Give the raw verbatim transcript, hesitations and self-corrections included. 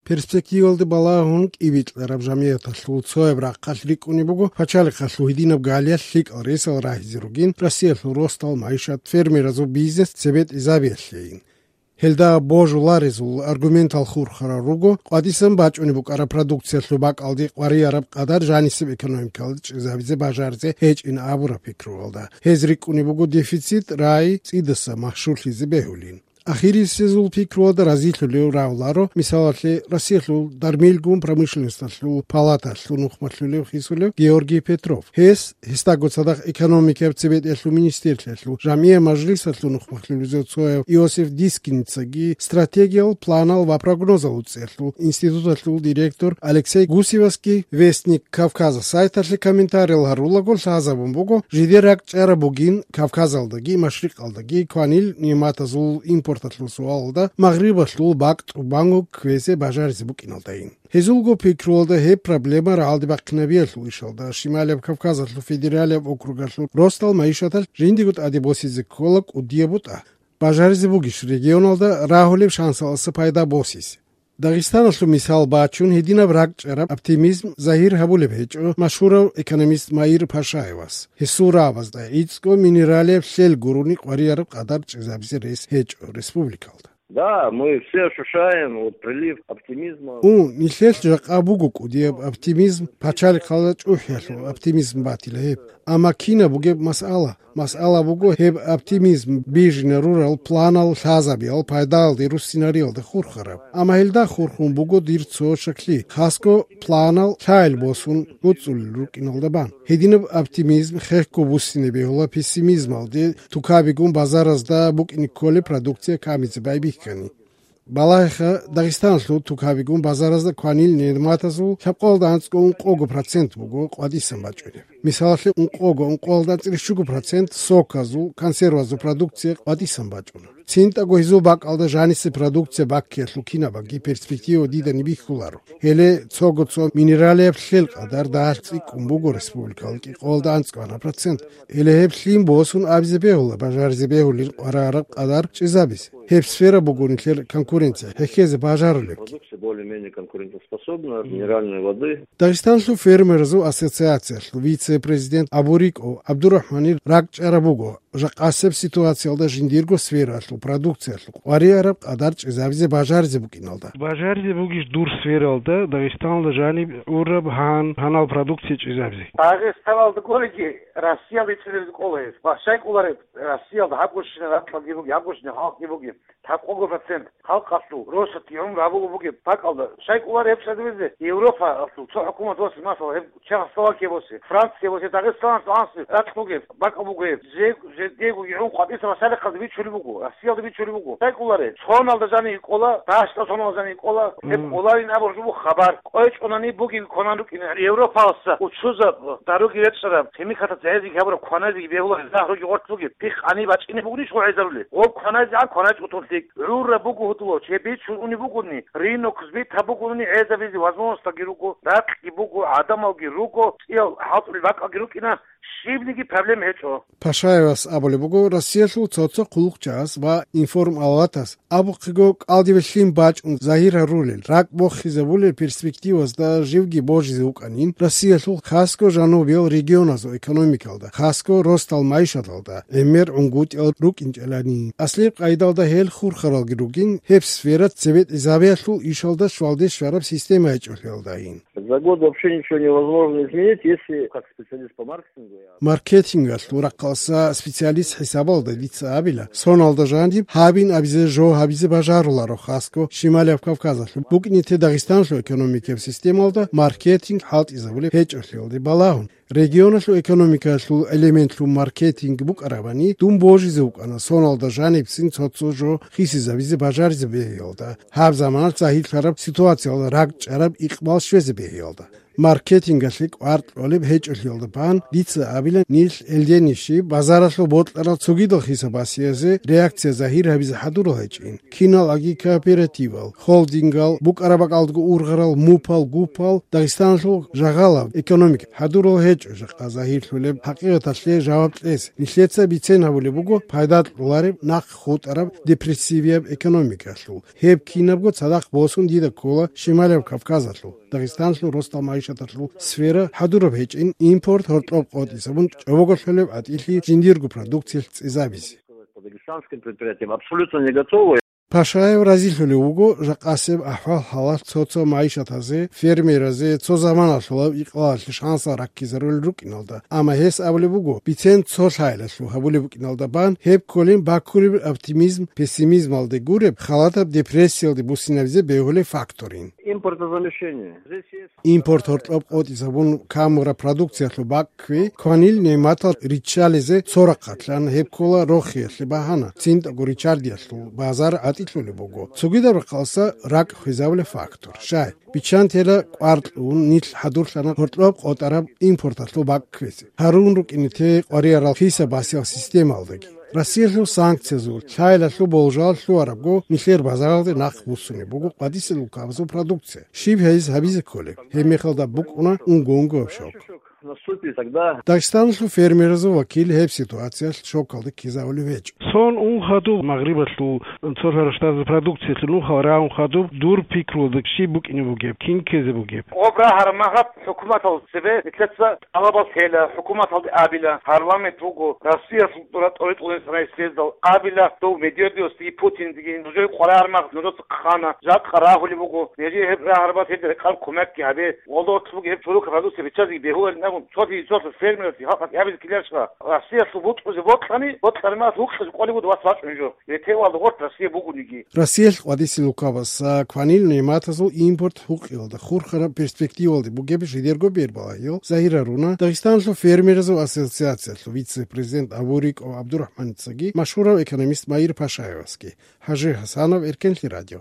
Перспективалде балагьун кӀибикьараб жамигӀаталъул цояб рахъалъ рикӀкӀунеб буго пачалихъалъул гьединаб галиялъ лъикӀал ресал рагьизе ругин Россиялъул росдал, майишат, фермеразул бизнес цебетӀезабиялъейин. Гьелда божуларезул аргументал хурхарал руго къватӀисан бачӀунеб букӀараб продукциялъул бакӀалде къварияраб къадар жанисеб экономикалда чӀезабизе бажаризе гьечӀин абураб пикруялда. Гьез рикӀкӀунеб буго дефицит рагӀи цӀидаса машгьурлъизе бегьулин. Ахирисезул пикруялда разилъулев равларо, мисалалъе, Россиялъул дармилгун промышленносталъул палаталъул нухмалъулев хисулев Георгий Петров. Гьес, гьесдаго цадахъ экономикаяб цебетӀиялъул министрлъиялъул жамгӀияб мажлисалъул нухмалъулев цояв Иосиф Дискиницаги, стратегиял планал ва прогнозал цӀехьлъул институталъул директор Алексей Гусевасги Вестник Кавказа сайталъе комментариял гьарулаго лъазабун буго, жидер ракӀчӀараб бугин Кавказалдаги Машрикъалдаги кванил нигӀматазул импорталъул суалалда Магърибалъул бакӀ тӀубанго кквезе бажаризе букӀиналдайин. Гьезулго пикруялда гьеб проблема рагӀалде бахъинабиялъул ишалда Шималияб Кавказалъул федералияб округалъул росдал майишаталъ жиндиего тӀаде босизе ккола кӀудияб бутӀа. Бажаризе бугищ регионалда рагьулеб шансалъаса пайда босизе? Дагъистаналъул мисал бачун, гьединаб ракӀчӀараб оптимизм загьир гьабулеб гьечӀо машгьурав экономист Маир Пашаевас. Гьесул рагӀабазда гӀицӀго минералияб лъел гурони къварияраб къадар чӀезабизе рес гьечӀо республикалда. Да, мы все ощущаем вот прилив оптимизма. Ун, нилъелъ жакъа буго кӀудияб оптимизм, пачалихъалда чӀухӀиялъул оптимизм батила гьеб. Амма кинаб бугеб масъала? Масъала буго гьеб оптимизм бижине рурал планал лъазабиялъ пайдалде руссинариялда хурхараб. Амма гьелда хурхун буго дир цо шаклъи, хасго планал лъайил босун гӀуцӀулел рукӀиналда бан. Гьединаб оптимизм хехго буссине бегьула пессимизмалде, тукабигун базаразда букӀине кколеб продукция камизе байбихьани. Балагьеха, Дагъистаналъул тукабигун базаразда кванил нигӀматазул лъабкъоялда анцӀго ункъого процент буго къватӀисан бачӀунеб. Мисалалъе, ункъого-ункъоялда анцӀила щуго процент соказул, консервазул продукция къватӀисан бачӀуна. ЦинтӀаго гьезул бакӀалда жанисе продукция баккиялъул кинабаги перспектива дидани бихьуларо. Гьеле цого-цо минералияб лъел къадар дагьалъ цӀикӀкӀун буго республикалда кӀикъоялда анцӀго процент. Гьеле гьеб лъим босун абизе бегьула бажаризе бегьулин къварараб къадар чӀезабизе. Гьеб сфера буго нилъер конкуренция хӀехьезе бажарулебги. Продукция более-менее конкурентоспособна, минеральной воды. Дагъистанлъул фермеразул ассоциациялъул вице-президент абурикӀо ГӀабдурахӀманил ракӀчӀараб буго, жакъасеб ситуациялда жиндирго сфералъул продукциялъул къварияраб къадар чӀезабизе бажаризе букӀиналда. Бажаризе бугищ дур сфералда Дагъистаналда жаниб гӀураб гьан, гьанал продукция чӀезабизе? Дагъистаналда кколеги, Россиялда ицӀилеб кӀола гьез. Ва щай кӀолареб, Россиялда гьабгощина ракьалги буги, гьабгощина халкъги буги. Лъабкъого процент халкъалъул росатги гӀумру гьабулеб бугеб бакӀалда. Щай кӀолареб гьеб чӀезабизе? Европалъул цо хӀукумат босе, масала, гьеб Чехословакия босе, Франция босе, Дагъистаналъ анцӀго ракь бугеб бакӀал буго гьеб. Жег-, жегьего гӀун къватӀиса машарихъалда бичулеб буго, Россиялда бичулеб буго. Щай кӀолареб? Соналда жаниб кӀола, дагьаб соналда жаниб кӀола, гьеб кӀоларин абураб жо буго хабар. КъвечӀонани бугин кванан рукӀин Европалъа учузаб даруги речӀчӀараб, химикатаца гӀезеги гьабураб кваназеги бегьула, гьезда гьаруги гъоркь бугеб. Пихъ гьаниб бачӀине бугнищ гъо гӀезарулел? Гъоб кваназегӀан кваначӀ утун лъикӀ. ГӀурра буго гьудулав, чеб бичун уни бугони, ринок сбита бугони гӀезабизе возможностьги руго, ракьги буго, гӀадамалги руго, цӀиял хӀалтӀулел бакӀалги рукӀина, щибниги проблем гьечӀо. Пашаевас абулеб буго, Россиялъул цо-цо хъулухъчагӀаз ва информалатас абухъего кӀалдибе лъим бачӀун загьир гьарулел, ракӀ бохизабулел перспективазда живги божизе вукӀанин, Россиялъул хасго жанубиял регионазул экономикалда, хасго росдал майишаталда гӀемер гӀунгутӀиял рукӀинчӀелани. Аслияб къайдалда гьел хурхаралги ругин, гьеб сфера цебетӀезабиялъул ишалда щвалде щвараб система гьечӀолъиялдайин. За год вообще ничего невозможно изменить, если как специалист по маркетингу я... Маркетингалъул рахъалъа специалист хӀисабалда дица абила, соналда жаниб гьабин абизе жо гьабизе бажаруларо хасго Шималияб Кавказалъул, букӀине те Дагъистаналъул экономикаяб системалда маркетинг хӀалтӀизабулеб гьечӀолъиялде балагьун. Регионалъул экономикалъул элементлъун маркетинг букӀарабани, дун божизе вукӀана соналда жанибцин цо-цо жо хисизабизе бажаризе бегьиялда, гьаб заманалъ загьирлъараб ситуациялда ракӀчӀараб икъбал щвезе бегьиялда. Маркетингалъе кӀвар кьолеб гьечӀолъиялда бан дица абила, нилъ гьелденищи базаралъул бокьарал цогидал хисаб-басиязе реакция загьир гьабизе хӀадурал гьечӀин. Киналги кооперативал, холдингал, букӀараб бакӀалдаго ургъарал мупал-гупал Дагъистаналъул жагъалаб экономика хӀадурал гьечӀо жакъа загьирлъулеб хӀакъикъаталъе жаваб кьес. Нилъеца бицен гьабулеб буго пайда кьолареб нахъ хутӀараб депрессивияб экономикалъул. Гьеб кинабго цадахъ босун дида ккола Шималияб Кавказалъул, Дагъистаналъул росдал магӀишаталъул сфера хӀадураб гьечӀин импорт гьоркьоб къотӀисабун чӀобоголъулеб гӀатӀилъи жиндирго продукциялъ цӀезабизе. По дагестанским предприятиям абсолютно не готовы. Пашаев разилъулев вуго жакъасеб ахӀвал-хӀалалъ цо-цо магӀишатазе, фермеразе цо заманалъулаб икъалалъе шансал раккизарулел рукӀиналда, амма гьес абулеб буго, бицен цо лъайлалъув гьабулеб букӀиналда бан, гьеб кколин баккулеб оптимизм пессимизмалде гуреб, халатаб депрессиялде буссинабизе бегьулеб факторин. Импортозамещение. Здесь есть Импорт гьоркьоб къотӀизабун камураб продукциялъул бакӀ кквей, кванил нигӀматал риччализе цо рахъалъан гьеб ккола рохиялъе багьана, цинтӀаго риччардиялъул базар гӀатӀилъулеб буго. Цогидаб рахъалъа ракӀ хвезабулеб фактор. Щай, биччан тела кӀвар кьун нилъ хӀадурлъана гьоркьоб къотӀараб импорталъул бакӀ кквезе. Гьарун рукӀине те къваригӀарал хисаб-басияб системалдаги. Россиялъул санкциязул, лъайлалъул болжал лъугьарабго, нилъер базаралде нахъ буссунеб буго къватӀисел лукабазул продукция. Щиб гьез гьабизе кколеб? Гьебмехалда букӀуна унго-унгояб шок. Наступит тогда. Дагъистаналъул фермеразул вакил гьеб ситуациялъ шокалде ккезавулев гьечӀо. Сон ун хадуб Магърибалъул цо-цо рашдазе продукциялъул нухал рагӀун хадуб дур пикруялда щиб букӀине бугеб, кин ккезе бугеб? Обра гьармагьаб хӀукуматал цебе нилъеца тӀалабал лъела, хӀукуматалде абила, парламент буго, Россиялъул тӀура тӀоритӀулин санай съездал абила, дов Медведевасдеги Путиндеги, нужер къварагӀармагъ нужеца хъана, жакъа рагьулеб буго, нижее гьеб рагьарбаз гьеб рекъараб кумекги гьабе, валда гьоркьлъубги гьеб чорокаб продукция биччазеги бегьуларин абун, цоги цоги фермералъе халкъалъе абизе ккеларищха, Россиялъул бутӀрузе бокьани, бокьармагъ вукъизе кӀолеб буго вас вачӀун жо, гьетевалда гъорт Россия бугониги. Россиялъ къватӀисел лукабаз кванил нигӀматазул импорт гьукъиялда хурхараб перспективалде бугеб жидерго бербалагьил загьир гьаруна Дагъистаналъул фермеразул ассоциациялъул вице-президент Абуриков ГӀабдурахӀманицаги машгьурав экономист Маир Пашаевасги. ХӀажи ХӀасанов, Эркенлъи радио.